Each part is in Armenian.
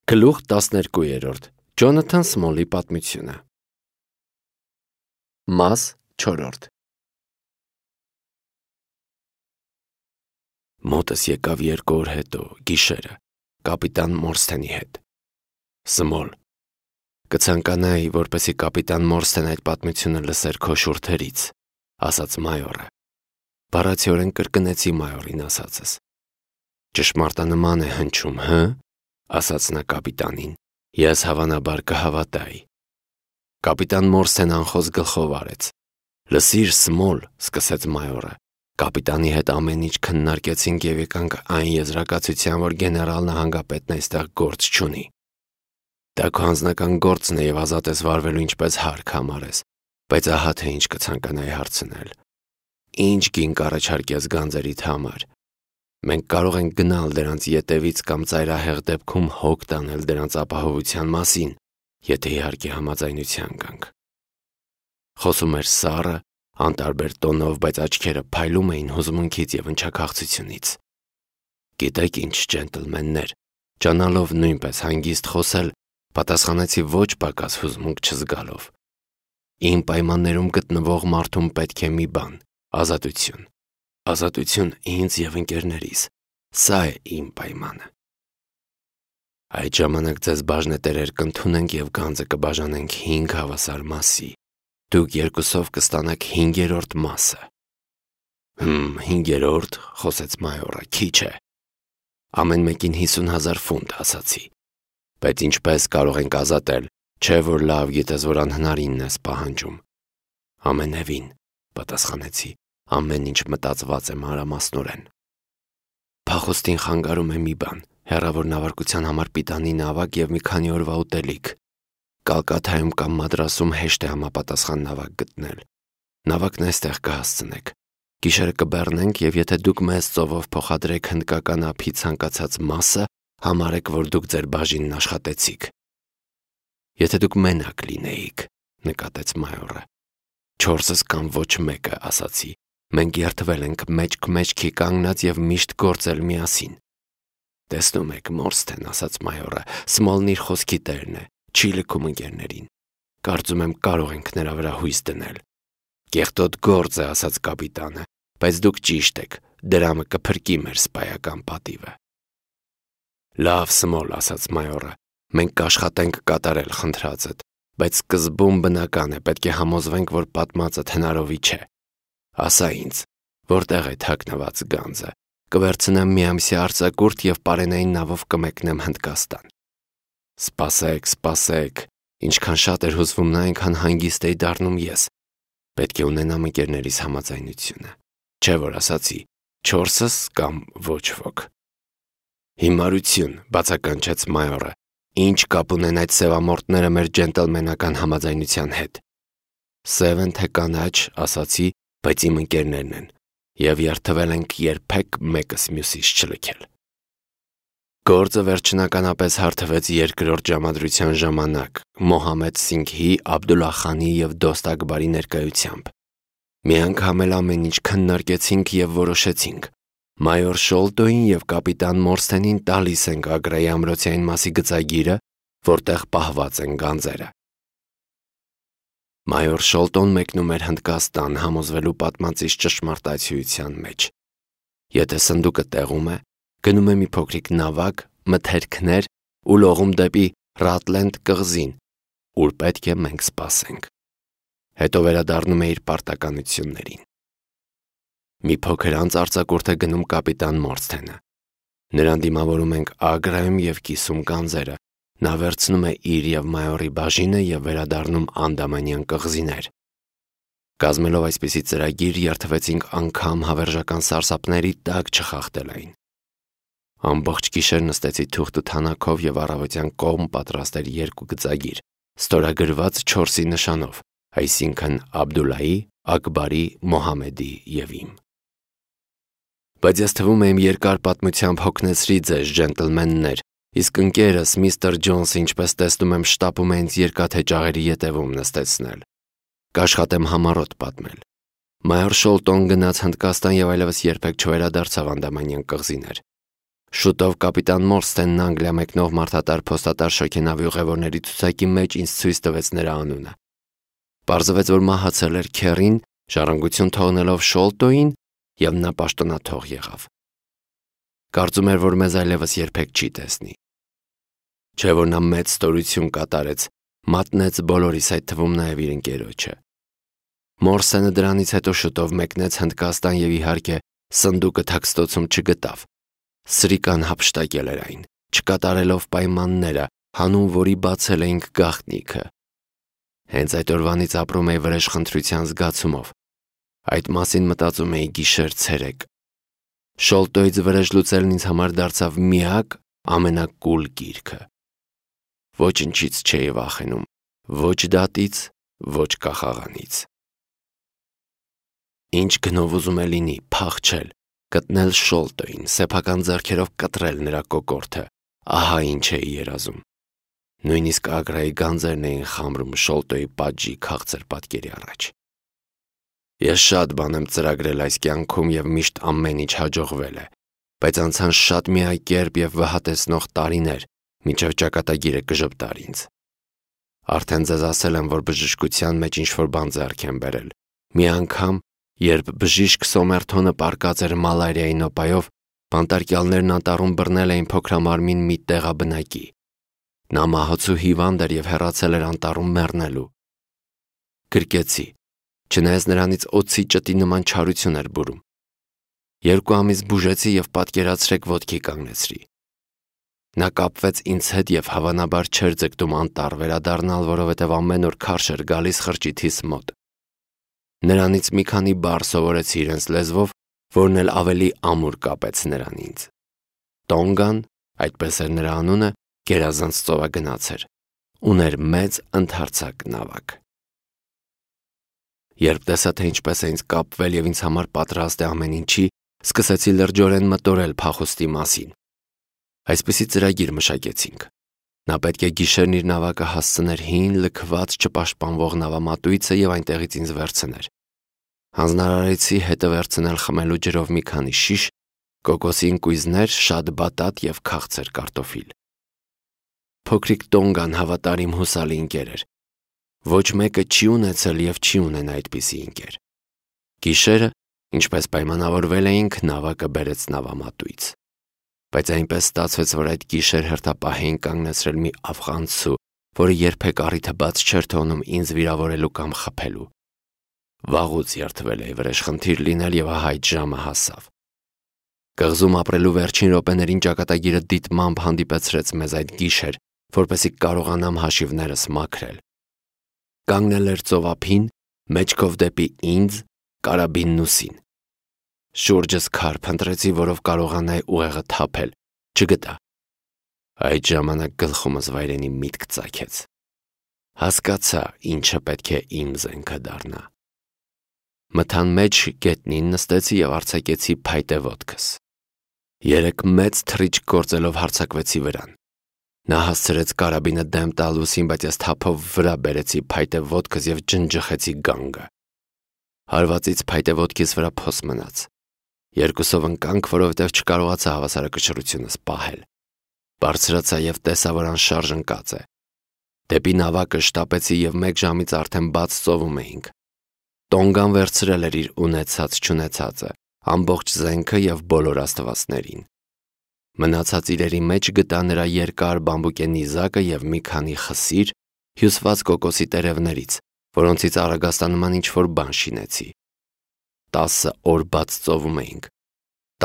Գլուխ 12 Ջոնաթան Սմոլի պատմությունը Մաս 4 Մոտս եկավ 2 օր հետո, գիշերը, կապիտան Մորսթենի հետ։ Սմոլ, կցանկանայի, որպեսզի կապիտան Մորսթեն այդ պատմությունը լսեր քո շուրթերից, ասաց մայորը։ Բառացիորեն կրկնեցի մայորին ասածս։ Ճշմարտանման է հնչում, հը? Ասաց նա կապիտանին, ես հավանաբար կհավատայի։ Կապիտան Մորսթեն անխոս գլխով արեց։ Լսիր, Սմոլ, սկսեց մայորը, կապիտանի հետ ամեն ինչ քննարկեցինք և եկանք այն եզրակացության, որ գեներալ նահանգապետն այստեղ գործ չունի։ Դա քո անձնական գործն է և ազատ ես վարվելու ինչպես հարկ համարես, բայց ահա թե ինչ կցանկանայի հարցնել։ Ինչ գին կառաջարկես գանձերիդ համար։ Մենք կարող ենք գնալ դրանց ետևից կամ ծայրահեղ դեպքում հոգ տանել դրանց ապահովության մասին, եթե իհարկե համաձայնության գանք։ Խոսում էր սառը, անտարբեր տոնով, բայց աչքերը փայլում էին հուզմունքից և ընչաքաղցությունից։ Գիտեք ինչ, ջենտլմեններ, ճանալով նույնպես հանգիստ խոսել, պատասխանեցի ոչ պակաս հուզմունք չզգալով։ Իմ պայմաններում գտնվող մարդուն պետք է մի բան՝ ազատություն։ Ազատություն ինձ և ընկերներիս, սա է իմ պայմանը։ Այդ ժամանակ ձեզ բաժնետերեր կընդունենք և գանձը կբաժանենք 5 հավասար մասի։ Դուք երկուսով կստանաք 5-րդ մասը։ 5-րդ, խոսեց մայորը, քիչ է։ Ամեն մեկին 50,000 ֆունտ, ասացի։ Բայց ինչպես կարող ենք ազատել, չէ որ լավ գիտես, որ անհնարինն ես պահանջում։ Ամենևին, պատասխանեցի, ամեն ինչ մտածված է մանրամասնորեն։ Փախոստին խանգարում է մի բան, հեռավոր նավարկության համար պիտանի նավակ և մի քանի օրվա ուտելիք։ Կալկաթայում կամ Մադրասում հեշտ է համապատասխան նավակ գտնել։ Նավակն այստեղ կհասցնեք։ Գիշերը կբեռնենք և եթե դուք մեզ ծովով փոխադրեք հնդկական ափի ցանկացած մասը, համարեք, որ դուք ձեր բաժինն աշխատեցիք։ Եթե դուք մենակ լինեիք, նկատեց մայորը։ 4-ս կամ ոչ մեկը, ասացի։ Մենք երդվել ենք մեջք-մեջքի կանգնած և միշտ գործել միասին։ Տեսնում եք, Մորսթեն, ասաց մայորը, Սմոլն իր խոսքի տերն է, չի լքում ընկերներին։ Կարծում եմ կարող ենք նրա վրա հույս դնել։ Կեղտոտ գործ է, ասաց կապիտանը, բայց դուք ճիշտ եք, դրամը կփրկի մեր սպայական պատիվը։ Լավ, Սմոլ, ասաց մայորը, մենք կաշխատենք կատարել խնդրածդ, բայց սկզբում բնական է, պետք է համոզվենք, որ պատմածդ հնարովի չէ։ Ասա ինձ, որտեղ է թաքնված գանձը, կվերցնեմ մի ամսյա արձակուրդ և պարենային նավով կմեկնեմ Հնդկաստան։ Սպասեք, ինչքան շատ էր հուզվում նա, այնքան հանգիստ էի դառնում ես։ Պետք է ունենամ ընկերներիս համաձայնությունը։ Չէ որ ասացի, 4-ս կամ ոչ ոք։ Հիմարություն, բացականչեց մայորը, ինչ կապ ունեն այդ սևամորտները մեր ջենտլմենական համաձայնության հետ։ Սև են թե կանաչ, ասացի, բայց իմ ընկերներն են, և երդվել ենք երբեք մեկս մյուսից չլքել։ Գործը վերջնականապես հարթվեց 2-րդ ժամադրության ժամանակ Մոհամմեդ Սինգհի, Աբդուլլահ-խանի և Դոստ Ակբարի ներկայությամբ։ Մի անգամ էլ ամեն ինչ քննարկեցինք և որոշեցինք։ Մայոր Շոլտոյին և կապիտան Մորսթենին տալիս ենք Ագրայի ամրոցային մասի գծագիրը, որտեղ պահված են գանձերը։ Մայոր Շոլտոն մեկնում էր Հնդկաստան համոզվելու պատմածից ճշմարտացիության մեջ։ Եթե սնդուկը տեղում է, գնում է մի փոքրիկ նավակ, մթերքներ ու լողում դեպի Ռատլենդ կղզին, ուր պետք է մենք սպասենք։ Հետո վերադառնում է իր պարտականություններին։ Մի փոքր անց արձակուրդ է գնում կապիտան Մորսթենը։ Նրան դիմավորում ենք Ագրայում և կիսում գանձերը։ Նա վերցնում է իր և մայորի բաժինը և վերադառնում Անդամանյան կղզիներ։ Կազմելով այսպիսի ծրագիր, երդվեցինք անգամ հավերժական սարսափների տակ չխախտել այն։ Ամբողջ գիշեր նստեցի թուղթ ու թանաքով և առավոտյան կողմ պատրաստ էր 2 գծագիր, ստորագրված 4-ի նշանով, այսինքն Աբդուլլայի, Ակբարի, Մոհամմեդի և իմ։ Բայց ես թվում է իմ երկար պատմությամբ հոգնեցրի ձեզ, ջենտլմեններ, իսկ ընկերս միստր Ջոնսը, ինչպես տեսնում եմ, շտապում է ինձ երկաթե ճաղերի ետևում նստեցնել։ Կաշխատեմ համառոտ պատմել։ Մայոր Շոլտոն գնաց Հնդկաստան և այլևս երբեք չվերադարձավ Անդամանյան կղզիներ։ Շուտով կապիտան Մորստենն Անգլիա մեկնող մարդատար փոստատար շոգենավի ուղևորների ցուցակի մեջ ինձ ցույց տվեց նրա անունը։ Պարզվեց, որ մահացել էր Քերին, ժառանգություն թողնելով Շոլտոյին, եւ նա պաշտոնաթող եղավ։ Կարծում էր, որ մեզ այլևս երբեք չի տեսնի։ Չէ՞ որ նա մեծ ստորություն կատարեց, մատնեց բոլորիս, այդ թվում նաև իր ընկերոջը։ Մորսենը դրանից հետո շուտով մեկնեց Հնդկաստան եւ իհարկե սնդուկը թաքստոցում չգտավ։ Սրիկան հափշտակել էր այն, չկատարելով պայմանները, հանուն որի բացել էինք գաղտնիքը։ Հենց այդ օրվանից ապրում էի վրեժխնդրության զգացումով։ Այդ մասին մտածում էի գիշեր-ցերեկ։ Շոլտոյից վրեժ լուծելն ինձ համար դարձավ միակ ամենակուլ գիրքը։ Ոչնչից չէի վախենում, ոչ դատից, ոչ կախաղանից։ Ինչ գնով ուզում է լինի, փախչել, գտնել Շոլտոյին, սեփական ձեռքերով կտրել նրա կոկորդը, ահա ինչ էի երազում։ Նույնիսկ Ագրայի գանձերն էին խամրում Շոլտոյի պատժի քաղցր պատկերի առաջ։ Ես շատ բան եմ ծրագրել այս կյանքում եւ միշտ ամեն ինչ հաջողվել է, բայց անցան շատ միակերպ եւ վհատեցնող տարիներ, մինչեւ ճակատագիրը կժպտար ինձ։ Արդեն ձեզ ասել եմ, որ բժշկության մեջ ինչ-որ բան ձեռք եմ բերել։ Մի անգամ, երբ բժիշկ Սոմերթոնը պառկած էր մալարիայի նոպայով, բանտարկյալներն անտառում բռնել էին փոքրամարմին մի տեղաբնակի։ Նա մահացու հիվանդ էր եւ հեռացել էր անտառում մեռնելու։ Գրկեցի, չնայած նրանից օձի ճտի նման չարություն էր բուրում։ 2 ամիս բուժեցի եւ պատկերացրեք ոտքի կանգնեցրի։ Նա կապվեց ինձ հետ եւ հավանաբար չէր ձգտում անտառ վերադառնալ, որովհետեւ ամեն օր քարշ էր գալիս խրճիթիս մոտ։ Նրանից մի քանի բառ սովորեցի իրենց լեզվով, որն էլ ավելի ամուր կապեց նրան ինձ։ Տոնգան, այդպես էր նրա անունը, գերազանց ծովագնաց էր, ուներ մեծ ընդարձակ նավակ։ Երբ տեսա, թե ինչպես է ինձ կապվել եւ ինձ համար պատրաստ է ամեն ինչի, սկսեցի լրջորեն մտորել փախուստի մասին։ Այսպիսի ծրագիր մշակեցինք։ Նա պետք է գիշերն իր նավակը հասցներ հին, լքված, չպաշտպանվող նավամատույցը եւ այնտեղից ինձ վերցներ։ Հանձնարարեցի հետը վերցնել խմելու ջրով մի քանի շիշ, կոկոսի ընկույզներ, շատ բատատ եւ քաղցր կարտոֆիլ։ Փոքրիկ Տոնգան հավատարիմ հուսալի ընկեր էր։ Ոչ մեկը չի ունեցել եւ չի ունենա այդպիսի ընկեր։ Գիշերը, ինչպես պայմանավորվել էինք, նավակը բերեց նավամատույց։ Բայց այնպես ստացվեց, որ այդ գիշեր հերթապահ կանգնեցրել մի աֆղանցու, որը երբեք առիթը բաց չէր թողնում ինձ վիրավորելու կամ խփելու։ Վաղուց երդվել էի վրեժխնդիր լինել եւ ահա այդ ժամը հասավ։ Կղզում ապրելու վերջին րոպեներին ճակատագիրը դիտմամբ հանդիպեցրեց մեզ այդ գիշեր, որպեսզի կարողանամ հաշիվներս մաքրել։ Կանգնել էր ծովափին, մեջքով դեպի ինձ, կարաբինն ուսին։ Շուրջս քար փնտրեցի, որով կարողանայի ուղեղը թափել, չգտա։ Այդ ժամանակ գլխումս վայրենի միտք ծագեց։ Հասկացա, ինչը պետք է իմ զենքը դառնա։ Մթան մեջ գետնին նստեցի եւ արձակեցի փայտե ոտքս։ 3 մեծ թռիչք գործելով հարձակվեցի վրան։ Նա հասցրեց կարաբինը դեմ տալ ուսին, բայց ես թափով վրա բերեցի փայտե ոտքս եւ ջնջխեցի գանգը։ Հարվածից փայտե ոտքիս վրա փոս մնաց։ Երկուսով ընկանք, որովհետև չկարողացա հավասարակշռությունս պահել։ Բարձրացա եւ տեսա, որ անշարժ ընկած է։ Դեպի նավակը շտապեցի եւ 1 ժամից արդեն բաց ծովում էինք։ Տոնգան վերցրել էր իր ունեցած-չունեցածը, ամբողջ զենքը եւ բոլոր աստվածներին։ Մնացած իրերի մեջ գտա նրա երկար բամբուկե նիզակը եւ մի քանի խսիր, հյուսված կոկոսի տերևներից, որոնցից Արագաստանման ինչ-որ բան շինեցի։ 10 օր բաց ծովում էինք։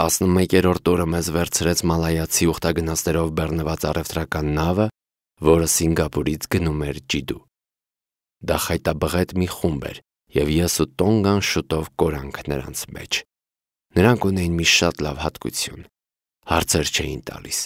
11-րդ օրը մեզ վերցրեց մալայացի ուխտագնացներով բեռնված առևտրական նավը, որը Սինգապուրից գնում էր Ջիդու։ Դա խայտաբղետ մի խումբ էր, եւ ես ու Տոնգան շուտով կորանք նրանց մեջ։ Նրանք ունեին մի շատ լավ հատկություն. հարցեր չէին տալիս։